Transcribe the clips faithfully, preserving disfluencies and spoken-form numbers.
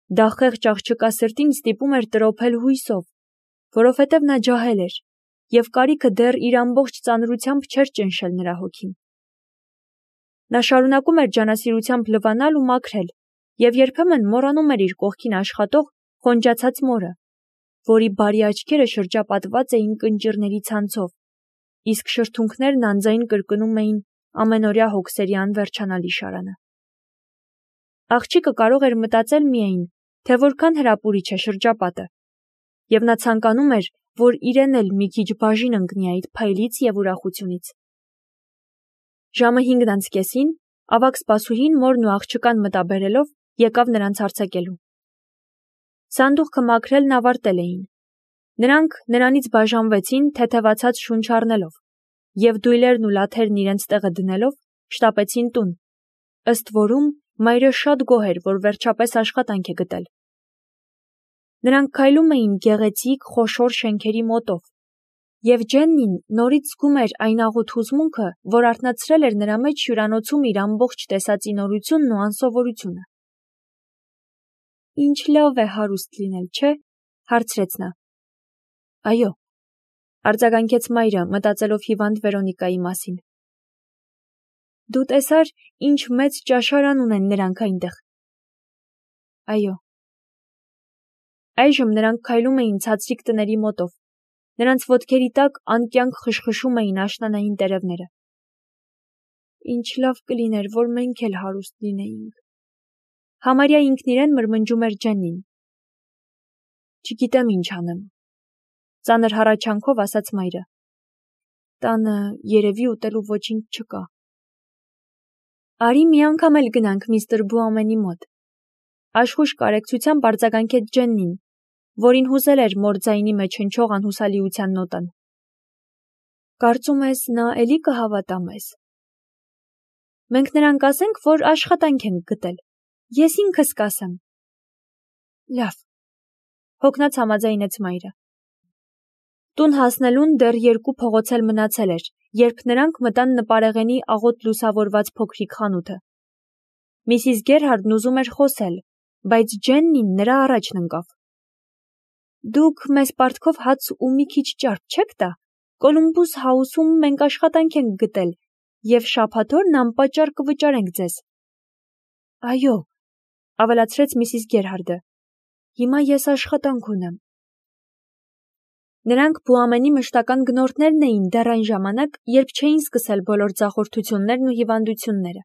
Դա խեղճ աղջկա սրտին ստիպում էր տրոփել հույսով, որովհետև նա ջահել էր, և կարիքը դեռ իր ամբողջ ծանրությամբ չէր ճնշել նրա հոգին։ Նա շարունակում էր ջանասիրությամբ լվանալ ու մաքրել, և երբեմն մոռանում էր իր կողքին աշխատող խոնջացած մորը, որի բարի աչքերը շրջապատված էին կնճիռների ցանցով, իսկ շրթունքներն անձայն կրկնում էին ամենօրյա հոգսերի անվերջանալի շարանը։ Աղջիկը կարող էր մտածել միայն, թե որքան հրապուրիչ է շրջապատը, և նա ցանկանում էր, որ իրեն էլ մի քիչ բաժին ընկնի այդ փայլից և ուրախությունից։ Ժամը հինգն անց կեսին ավագ սպասուհին մորն ու աղջկան մտաբերելով եկավ նրանց արձակելու։ Սանդուղքը մաքրելն ավարտել էին։ Նրանք նրանից բաժանվեցին թեթևացած շունչ առնելով, և դույլերն ու լաթերն իրենց տեղը դնելով շտապեցին տուն, ըստ որում մայրը շատ գոհ էր, որ վերջապես աշխատանք է գտել։ Նրանք քայլում էին գեղեցիկ, խոշոր շենքերի մոտով, և Ջեննին նորից զգում էր այն աղոտ հուզմունքը, որ արթնացրել էր նրա մեջ հյուրանոցում իր ամբողջ տեսածի նորությունն ու անսովորությունը։ Ինչ լավ է հարուստ լինել, չէ՞, հարցրեց նա։ Այո, արձագանքեց մայրը, մտածելով հիվանդ Վերոնիկայի մասին։ Դու տեսար, ինչ մեծ ճաշարան ունեն նրանք այնտեղ։ Այո։ Այժմ նրանք քայլում էին ցածրիկ տների մոտով։ Նրանց ոտքերի տակ անկյանք խշխշում էին աշնանային տերևները։ Ինչ լավ կլիներ, որ մենք էլ հարուստ լինեինք։ Համարյա ինքն իրեն մրմնջում էր Ջեննին։ Չգիտեմ ինչ անեմ, ծանր հառաչանքով ասաց մայրը։ Տանը երևի ուտելու ոչինչ չկա։ Արի մի անգամ էլ գնանք միստր Բուամենի մոտ։ Աշխույժ կարեկցությամբ արձագանքեց Ջեննին, որին հուզել էր մոր ձայնի մեջ հնչող անհուսալիության նոտան։ Կարծում ես նա էլի կհավատա մեզ։ Մենք նրան կասենք, որ աշխատանք ենք գտել։ Ես ինքս կասեմ։ Լավ, հոգնած համաձայնեց մայրը։ Տուն հասնելուն դեռ երկու փողոց էլ մնացել էր, երբ նրանք մտան նպարեղենի աղոտ լուսավորված փոքրիկ խանութը։ Միսիս Գերհարդն ուզում էր խոսել, բայց Ջեննին նրա առաջն ընկավ։ Դուք մեզ պարտքով հաց ու մի քիչ ճարպ չեք տա։ Կոլումբուս Հաուսում մենք աշխատանք ենք գտել, և շաբաթօրն անպատճառ կվճարենք ձեզ։ Այո, ավելացրեց միսիս Գերհարդը։ Հիմա ես աշխատանք ունեմ։ Նրանք Բուամենի մշտական գնորդներն էին դեռ այն ժամանակ, երբ չէին սկսել բոլոր ձախորդություններն ու հիվանդությունները,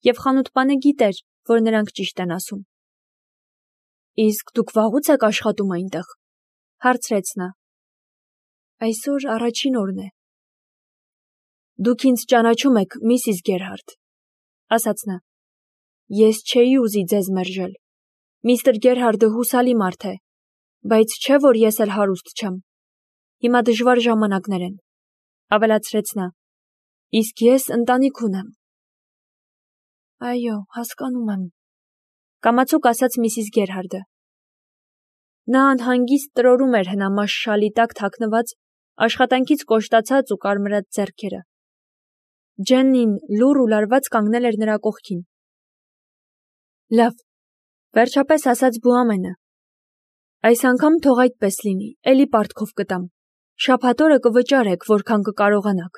և խանութպանը գիտեր, որ նրանք ճիշտ են ասում։ Իսկ դուք վաղուց եք աշխատում այնտեղ, հարցրեց նա։ Այսօր առաջին օրն է։ Դուք ինձ ճանաչում եք, միսիս Գերհարդ, ասաց նա։ Ես չէի ուզի ձեզ մերժել։ Միստր Գերհարդը հուսալի մարդ է, բայց չէ, որ ես էլ հարուստ չեմ։ Հիմա դժվար ժամանակներ են, ավելացրեց նա, իսկ ես ընտանիք ունեմ։ Այո, հասկանում եմ, կամացուկ ասաց միսիս Գերհարդը։ Նա անհանգիստ տրորում էր հնամաշ շալի տակ թաքնված, աշխատանքից կոշտացած ու կարմրած ձեռքերը։ Ջեննին լուռ ու լարված կանգնել էր նրա կողքին։ Լավ, վերջապես ասաց Բուամենը։ Այս անգամ թող այդպես լինի, էլի պարտքով կտամ։ Շաբաթօրը կվճարեք, որքան կկարողանաք։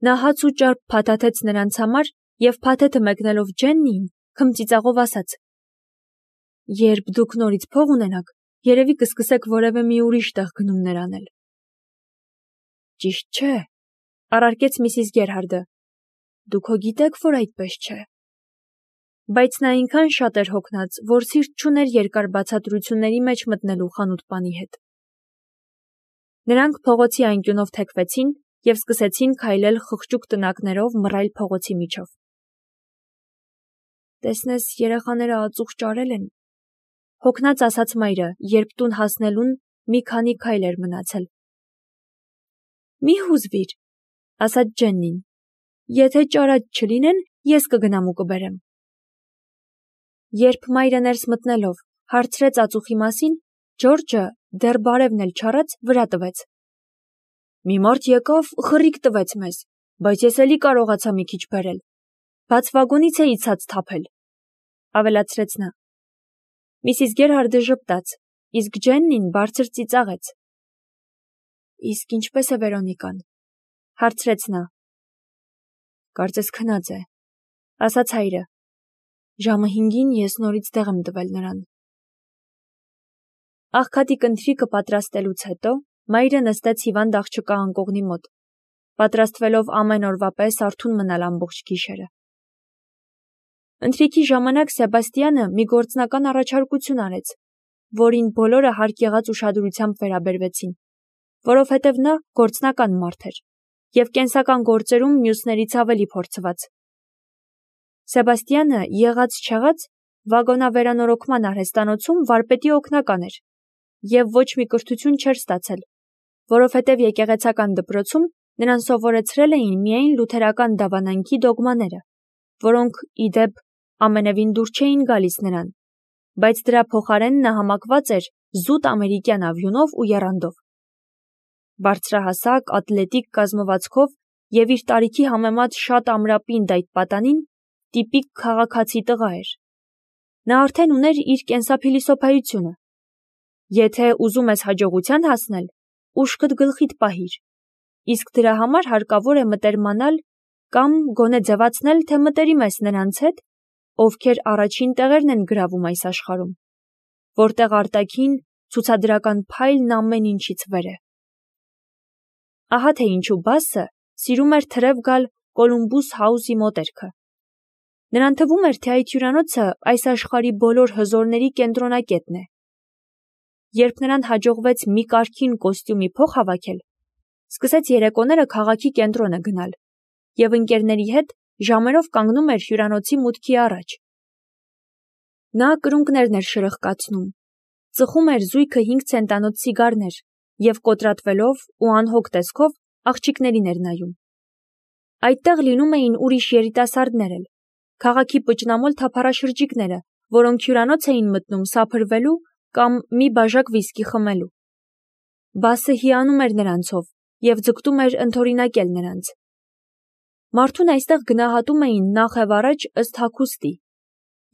Նա հաց ու ճարպ փաթաթեց նրանց համար և փաթեթը մեկնելով Ջեննիին, քմծիծաղով ասաց. Երբ դուք նորից փող ունենաք, երևի կսկսեք որևէ մի ուրիշ տեղ գնումներ անել։ Ճիշտ չէ, առարկեց միսիս Գերհարդը։ Դուք հո գիտեք, որ այդպես չէ։ Բայց նա այնքան շատ էր հոգնած, որ սիրտ չուներ երկար բացատրությունների մեջ մտնելու խանութպանի հետ։ Նրանք փողոցի անկյունով թեքվեցին և սկսեցին քայլել խղճուկ տնակներով մռայլ փողոցի միջով։ Տեսնես, երեխաները ածուխ ճարել են, հոգնած ասաց մայրը, երբ տուն հասնելուն մի քանի քայլ էր մնացել։ Մի հուզվիր, ասաց Ջեննին։ Եթե ճարած չլինեն, ես կգնամ ու կբերեմ։ Երբ մայրը ներս մտնելով հարցրեց ածուխի մասին, Ջորջը, դեռ բարևն էլ չառած, վրա տվեց։ Մի մարդ եկավ, խռիկ տվեց մեզ, բայց ես էլի կարողացա մի քիչ բերել։ Բաց վագոնից էի ցած թափել, ավելացրեց նա։ Միսիս Գերհարդը ժպտաց, իսկ Ջեննին բարձր ծիծաղեց։ Իսկ ինչպես է Վերոնիկան, հարցրեց նա։ Կարծես քնած է, ասաց հայրը։ Ժամը հինգին ես նորից դեղ եմ տվել նրան։ Աղքատի կնթրիքը պատրաստելուց հետո մայրը նստեց հիվանդ աղջկա անկողնի մոտ, պատրաստվելով ամեն օրվա պես արթուն մնալ ամբողջ գիշերը։ Ընթրիքի ժամանակ Սեբաստիանը մի գործնական առաջարկություն արեց, որին բոլորը հարկ եղած ուշադրությամբ վերաբերվեցին, որովհետև նա գործնական մարդ էր և կենսական գործերում մյուսներից ավելի փորձված։ Սեբաստիանը եղած-չեղած վագոնավերանորոգման արհեստանոցում վարպետի օգնական էր և ոչ մի կրթություն չէր ստացել, որովհետև եկեղեցական դպրոցում նրան սովորեցրել էին միայն լութերական դավանանքի դոգմաները, որոնք, ի դեպ, ամենևին դուր չէին գալիս նրան, բայց դրա փոխարեն նա համակված էր զուտ ամերիկյան ավյունով ու եռանդով։ Բարձրահասակ, ատլետիկ կազմվածքով և իր տարիքի համեմատ շատ ամրապինդ այդ պատանին տիպիկ քաղաքացի տղա էր։ Նա արդեն ուներ իր կենսափիլիսոփայությունը։ Եթե ուզում ես հաջողության հասնել, ուշքդ գլխիդ պահիր, իսկ դրա համար հարկավոր է մտերմանալ կամ գոնե ձևացնել, թե մտերիմ ես նրանց հետ, ովքեր առաջին տեղերն են գրավում այս աշխարհում, որտեղ արտաքին ցուցադրական փայլն ամեն ինչից վեր է։ Ահա թե ինչու Բասը սիրում էր թրև գալ Կոլումբուս Հաուսի մոտերքը։ Նրան թվում էր, թե այդ հյուրանոցը այս աշխարհի բոլոր հզորների կենտրոնակետն է։ Երբ նրան հաջողվեց մի կարգին կոստյումի փող հավաքել, սկսեց երեկոները քաղաքի կենտրոնը գնալ և ընկերների հետ ժամերով կանգնում էր հյուրանոցի մուտքի առաջ։ Նա կրունկներն էր շրխկացնում, ծխում էր զույգը հինգ ցենտանոց սիգարներ և կոտրատվելով ու անհոգ տեսքով աղջիկներին էր նայում։ Այդտեղ լինում էին ուրիշ երիտասարդներ էլ, քաղաքի պճնամոլ թափառաշրջիկները, որոնք հյուրանոց էին մտնում սափրվելու կամ մի բաժակ վիսկի խմելու։ Բասը հիանում էր նրանցով և ձգտում էր ընդօրինակել նրանց։ Մարդուն այստեղ գնահատում էին նախևառաջ ըստ հագուստի։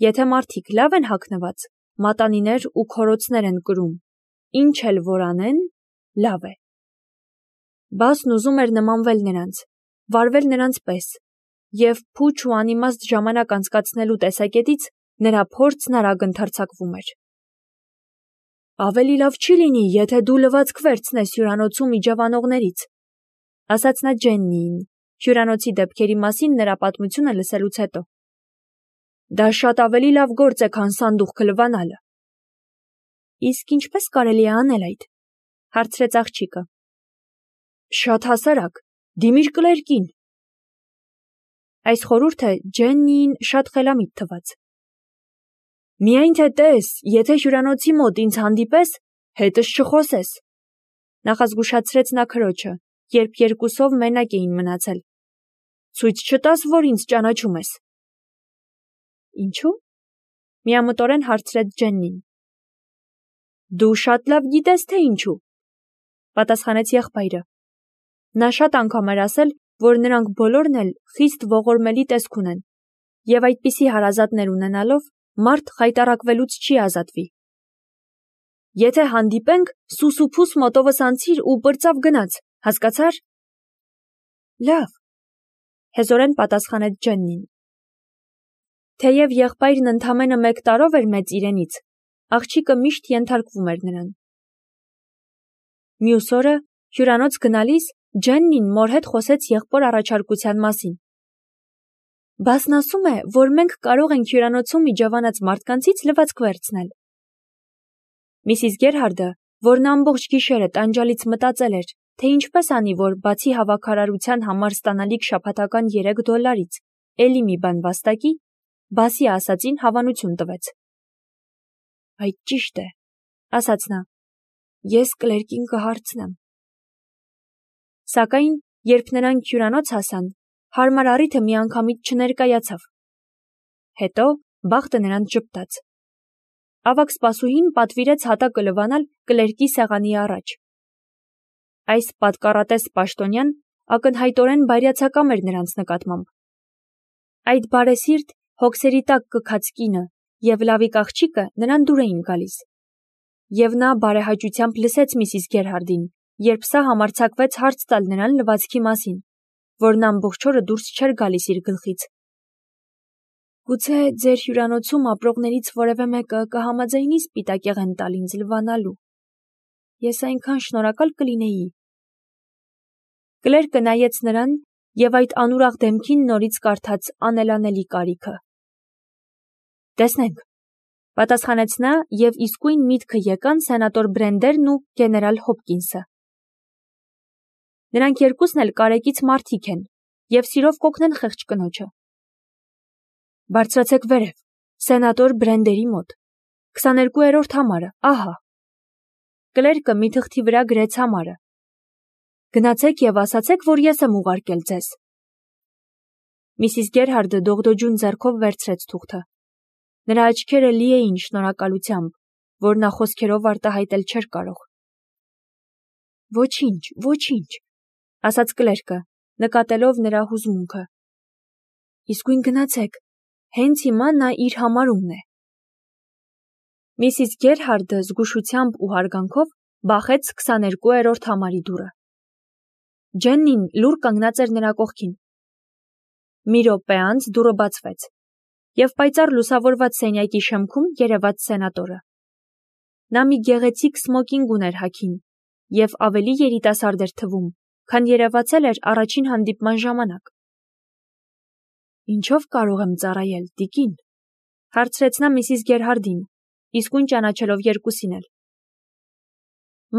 Եթե մարդիկ լավ են հագնված, մատանիներ ու քորոցներ են կրում, ինչ էլ որ անեն, լավ է։ Բասն ուզում էր նմանվել նրանց, վարվել նրանց պես, և փուչ ու անիմաստ ժամանակ անցկացնելու տեսակետից նրա փորձն արագ ընդարձակվում էր։ Ավելի լավ չի լինի, եթե դու լվացք վերցնես հյուրանոցում իջևանողներից, ասաց նա Ջեննիին, հյուրանոցի դեպքերի մասին նրա պատմությունը լսելուց հետո։ Դա շատ ավելի լավ գործ է, քան սանդուղքը լվանալը։ Իսկ ինչպես կարելի է անել այդ, հարցրեց աղջիկը։ Շատ հասարակ, դիմիր կլերկին։ Այս խորհուրդը Ջեննիին շատ խելամիտ թվաց։ Միայն թե տես, եթե հյուրանոցի մոտ ինձ հանդիպես, հետս չխոսես, նախազգուշացրեց նա քրոջը, երբ երկուսով մենակ էին մնացել։ Ցույց չտաս, որ ինձ ճանաչում ես։ Ինչու՞, միամտորեն հարցրեց Ջեննին։ Դու շատ լավ գիտես, թե ինչու, պատասխանեց եղբայրը։ Նա շատ անգամ էր ասել, որ նրանք բոլորն էլ խիստ ողորմելի տեսք ունեն, և այդպիսի հարազատներ ունենալով մարդ խայտառակվելուց չի ազատվի։ Եթե հանդիպենք, սուս ու փուս մոտովս անցիր ու պրծավ գնաց, հասկացա՞ր։ Լավ, հեզորեն պատասխանեց Ջեննին։ Թեև եղբայրն ընդամենը մեկ տարով էր մեծ իրենից, աղջիկը միշտ ենթարկվում էր նրան։ Մյուս օրը հյուրանոց գնալիս Ջեննին մոր հետ խոսեց եղբոր առաջարկության մասին։ Բասն ասում է, որ մենք կարող ենք հյուրանոցում իջևանած մարդկանցից լվացք վերցնել։ Միսիս Գերհարդը, որն ամբողջ գիշերը տանջալից մտածել էր, թե ինչպես անի, որ բացի հավաքարարության համար ստանալիք շաբաթական երեք դոլարից էլի մի բան վաստակի, Բասի ասածին հավանություն տվեց։ Այդ ճիշտ է, ասաց նա, ես կլերկին կհարցնեմ։ Սակայն, երբ նրանք հյուրանոց հասան, հարմար առիթը միանգամից չներկայացավ։ Հետո բախտը նրանց ժպտաց։ Ավագ սպասուհին պատվիրեց հատակը լվանալ կլերկի սեղանի առաջ։ Այս պատկառատես պաշտոնյան ակնհայտորեն բայրացակամ էր նրանց նկատմամբ։ Այդ բարեսիրտ, հոգսերի տակ կքած կինը և լավիկ աղջիկը նրան դուր էին գալիս։ Եվ նա բարեհաճությամբ լսեց Միսիս Գերհարդին, երբ սա համարձակվեց հարց տալ նրան լվացքի մասին, որն ամբողջ օրը դուրս չէր գալիս իր գլխից։ Գուցե ձեր հյուրանոցում ապրողներից որևէ մեկը կհամաձայնի սպիտակեղեն տալ ինձ լվանալու։ Ես այնքան շնորհակալ կլինեի։ Կլերկը նայեց նրան և այդ անուրախ դեմքին նորից կարդաց անելանելի կարիքը։ Տեսնենք, պատասխանեց նա և իսկույն միտքը եկան սենատոր Բրենդերն ու գեներալ Հոփկինսը։ Նրանք երկուսն էլ կարեկից մարդիկ են և սիրով կօգնեն խեղճ կնոջը։ Բարձրացեք վերև, սենատոր Բրենդերի մոտ, քսաներկուերորդ համարը, ահա։ Կլերկը մի թղթի վրա գրեց համարը։ Գնացեք և ասացեք, որ ես եմ ուղարկել ձեզ։ Միսիս Գերհարդը դողդոջուն ձեռքով վերցրեց թուղթը։ Նրա աչքերը լի էին շնորհակալությամբ, որ նա խոսքերով արտահայտել չէր կարող։ Ոչինչ, ոչինչ, ասաց Կլերկը, նկատելով նրա հուզմունքը։ Իսկույն գնացեք, հենց հիմա նա իր համարումն է։ Միսիս Գերհարդը զգուշությամբ ու հարգանքով բախեց քսաներկուերորդ համարի դուռը։ Ջեննին լուռ կանգնած էր նրա կողքին։ Մի րոպե անց դուռը բացվեց, և պայծառ լուսավորված սենյակի շեմքում երևաց սենատորը։ Նա մի գեղեցիկ սմոկինգ ուներ հագին և ավելի երիտասարդ էր թվում, քան երևացել էր առաջին հանդիպման ժամանակ։ Ինչո՞վ կարող եմ ծառայել, տիկին, հարցրեց նա Միսիս Գերհարդին, իսկույն ճանաչելով երկուսին էլ։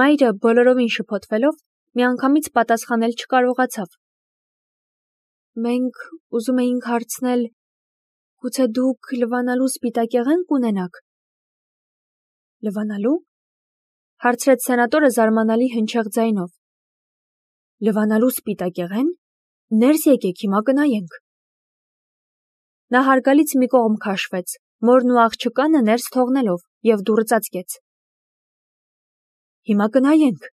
Մայրը բոլորովին շփոթվելով միանգամից պատասխանել չկարողացավ։ Մենք ուզում էինք հարցնել, գուցե դուք լվանալու սպիտակեղեն կունենաք։ Լվանալու։ Հարցրեց սենատորը զարմանալի հնչեղ ձայնով։ Լվանալու սպիտակեղեն։ Ներս եկեք, հիմա կնայենք։ Նա հարգալից մի կողմ քաշվեց, մորն ու աղջկանը ներս թողնելով, և դուռը ծածկեց։ Հիմա կնայենք,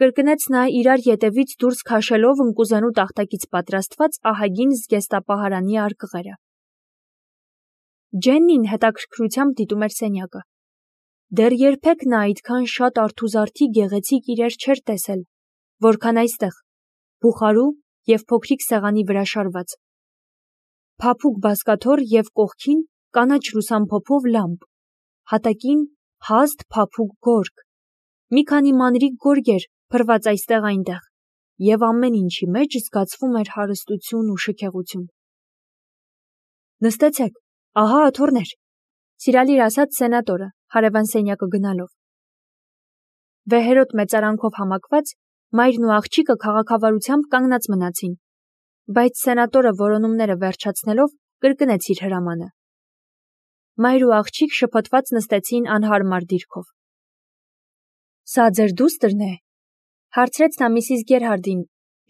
կրկնեց նա իրար ետևից դուրս քաշելով ընկուզենու տախտակից պատրաստված ահագին զգեստապահարանի արկղերը։ Ջեննին հետաքրքրությամբ դիտում էր սենյակը։ Դեռ երբեք նա այդքան շատ արթուզարդի գեղեցիկ իրեր չէր տեսել, որքան այստեղ, բուխարու և փոքրիկ սեղանի վրա շարված։ Փափուկ բազկաթոռ և կողքին կանաչ լուսամփոփով լամպ, հատակին հաստ փափուկ գորգ, մի քանի մանրիկ գորգեր փռված այստեղ-այնտեղ, և ամեն ինչի մեջ զգացվում էր հարստություն ու շքեղություն։ Նստեցեք, ահա աթոռներ, սիրալիր ասաց սենատորը, հարևան սենյակը գնալով։ Վեհերոտ մեծարանքով համակված, մայրն ու աղջիկը քաղաքավարությամբ կանգնած մնացին, բայց սենատորը որոնումները վերջացնելով կրկնեց իր հրամանը։ Մայր ու աղջիկ շփոթված նստեցին անհարմար դիրքով։ Սա ձեր դուստր է, հարցրեց նա Միսիս Գերհարդին,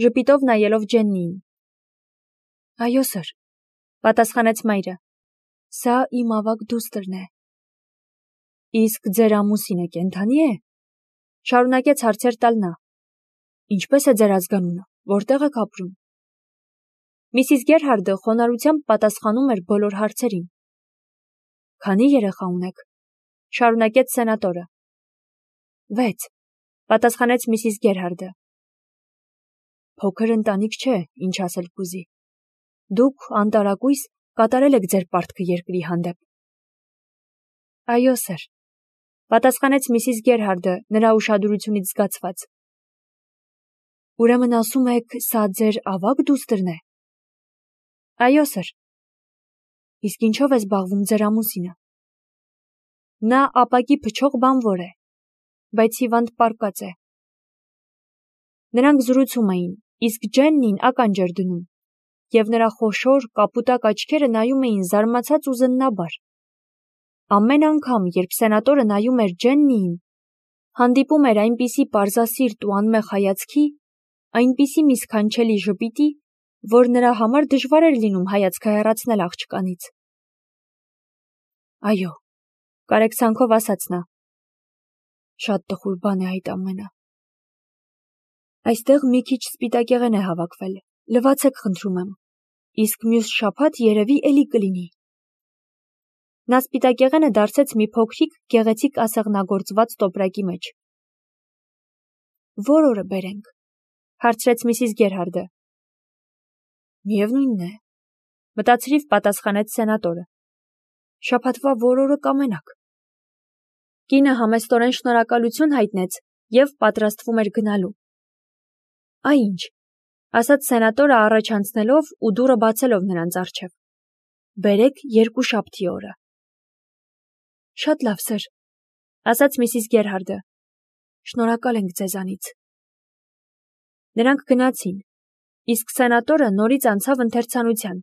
ժպիտով նայելով Ջեննիին։ Այո, սըր, պատասխանեց մայրը։ Սա իմ ավագ դուստրն է։ Իսկ ձեր ամուսինը կենդանի է։ Շարունակեց հարցեր տալ նա։ Ինչպես է ձեր ազգանունը, որտեղ եք ապրում։ Միսիս Գերհարդը խոնարհությամբ պատասխանում էր բոլոր հարցերին։ Քանի երեխա ունեք, շարունակեց սենատորը։ Վեց, պատասխանեց Միսիս Գերհարդը։ Փոքր ընտանիք չէ, ինչ ասել կուզի։ Դուք անտարակույս կատարել եք ձեր պարտքը երկրի հանդեպ։ Այո, սըր, պատասխանեց Միսիս Գերհարդը նրա ուշադրությունից զգացված։ Ուրեմն ասում եք, սա ձեր ավագ դուստրն է։ Այո, սըր։ Իսկ ինչով է զբաղվում ձեր ամուսինը։ Նա ապակի փչող բանվոր է, բայց հիվանդ պառկած է։ Նրանք զրուցում էին, իսկ Ջեննին ականջ էր դնում, և նրա խոշոր, կապուտակ աչքերը նայում էին զարմացած ու զննաբար։ Ամեն անգամ, երբ սենատորը նայում էր Ջեննիին, հանդիպում էր այնպիսի պարզասիրտ ու անմեղ հայացքի, այնպիսի մի սքանչելի ժպիտի, որ նրա համար դժվար էր լինում հայացքը հեռացնել աղջկանից։ Այո, կարեկցանքով ասաց նա։ Շատ տխուր բան է այդ ամենը։ Այստեղ մի քիչ սպիտակեղեն է հավաքվել, լվացեք խնդրում եմ, իսկ մյուս շաբաթ երևի էլի կլինի։ Նա սպիտակեղենը դարսեց մի փոքրիկ, գեղեցիկ ասեղնագործված տոպրակի մեջ։ Որ օրը բերենք, հարցրեց Միսիս Գերհարդը։ Միևնույնն է, մտածրիվ պատասխանեց սենատորը։ Շաբաթվա որ օրը կամենաք։ Կինը համեստորեն շնորհակալություն հայտնեց և պատրաստվում էր գնալու։ Այ ինչ, ասաց սենատորը առաջ անցնելով ու դուռը բացելով նրանց առջև։ Բերեք երկուշաբթի օրը։ Շատ լավ, սըր, ասաց Միսիս Գերհարդը։ Շնորհակալ ենք ձեզանից։ Նրանք գնացին, իսկ սենատորը նորից անցավ ընթերցանության,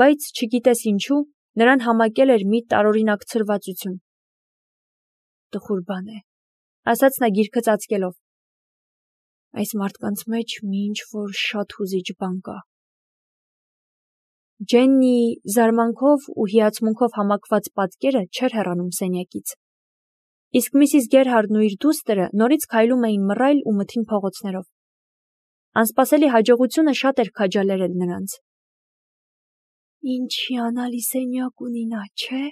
բայց չգիտես ինչու, նրան համակել էր մի տարօրինակ ցրվածություն։ Տխուր բան է, ասաց նա գիրքը ծածկելով։ Այս մարդկանց մեջ մի ինչ-որ շատ հուզիչ բան կա։ Ջեննի զարմանքով ու հիացմունքով համակված պատկերը չէր հեռանում սենյակից։ Իսկ Միսիս Գերհարդն ու իր դուստրը նորից քայլում էին մռայլ ու մթին փողոցներով։ Անսպասելի հաջողությունը շատ էր քաջալերել նրանց։ Ինչ հիանալի սենյակ ունի նա, չէ՞,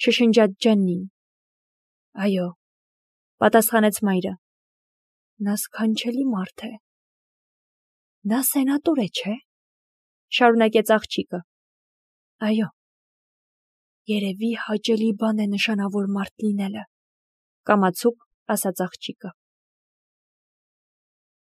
շշնջաց Ջեննին։ Այո, պատասխանեց մայրը։ Նա սքանչելի մարդ է։ Նա սենատոր է, չէ՞, շարունակեց աղջիկը։ Այո։ Երևի հաճելի բան է նշանավոր մարդ լինելը, կամացուկ ասաց աղջիկը։